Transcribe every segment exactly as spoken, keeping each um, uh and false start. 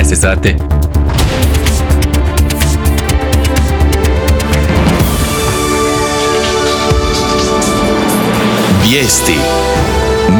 šesnaest sati. Vijesti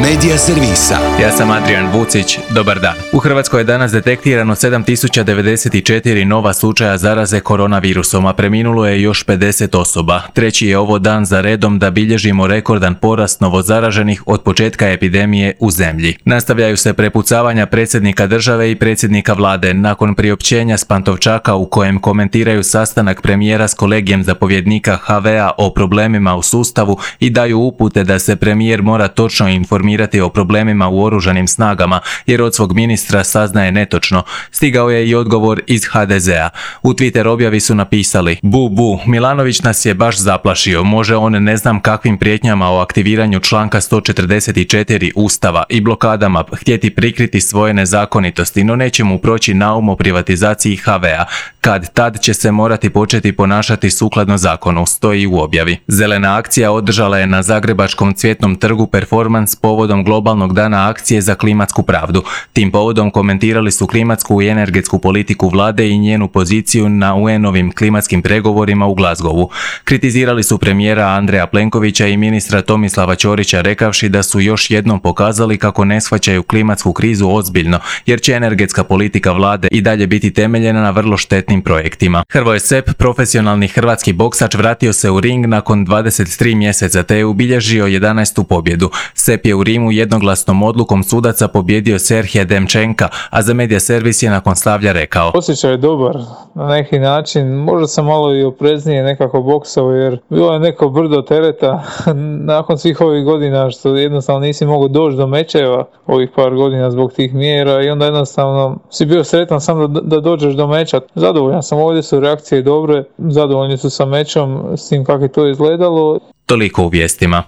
Medija servisa. Ja sam Adrian Vucić, dobar dan. U Hrvatskoj je danas detektirano sedam tisuća devedeset četiri nova slučaja zaraze koronavirusom, a preminulo je još pedeset osoba. Treći je ovo dan za redom da bilježimo rekordan porast novozaraženih od početka epidemije u zemlji. Nastavljaju se prepucavanja predsjednika države i predsjednika vlade nakon priopćenja s Pantovčaka u kojem komentiraju sastanak premijera s kolegijem zapovjednika ha ve a o problemima u sustavu i daju upute da se premijer mora točno informirati o problemima u oružanim snagama, jer od svog ministra saznaje netočno. Stigao je i odgovor iz ha de zea. U Twitter objavi su napisali: Bu, bu, Milanović nas je baš zaplašio. Može on ne znam kakvim prijetnjama o aktiviranju članka sto četrdeset četiri Ustava i blokadama htjeti prikriti svoje nezakonitosti, no neće mu proći naum o privatizaciji ha ve a. Kad tad će se morati početi ponašati sukladno zakonu, stoji u objavi. Zelena akcija održala je na Zagrebačkom Cvjetnom trgu performans povodom globalnog dana akcije za klimatsku pravdu. Tim povodom komentirali su klimatsku i energetsku politiku vlade i njenu poziciju na u en-ovim klimatskim pregovorima u Glasgowu. Kritizirali su premijera Andreja Plenkovića i ministra Tomislava Ćorića rekavši da su još jednom pokazali kako ne shvaćaju klimatsku krizu ozbiljno, jer će energetska politika vlade i dalje biti temeljena na vrlo štetnim projektima. Hrvoje Sepp, profesionalni hrvatski boksač, vratio se u ring nakon dvadeset tri mjeseca te je ubilježio jedanaestu pobjedu. Sepp je u Rimu jednoglasnom odlukom sudaca pobjedio Serhija Demčenka, a za Medija servis je nakon slavlja rekao: Osjećaj je dobar na neki način, možda sam malo i opreznije nekako boksao jer bilo je neko brdo tereta nakon svih ovih godina što jednostavno nisi mogao doći do mečeva ovih par godina zbog tih mjera i onda jednostavno si bio sretan sam da, da dođeš do meča. Zadovoljan sam, ovdje su reakcije dobre, zadovoljni su sa mečom, s tim kako je to izgledalo. Toliko u vijestima.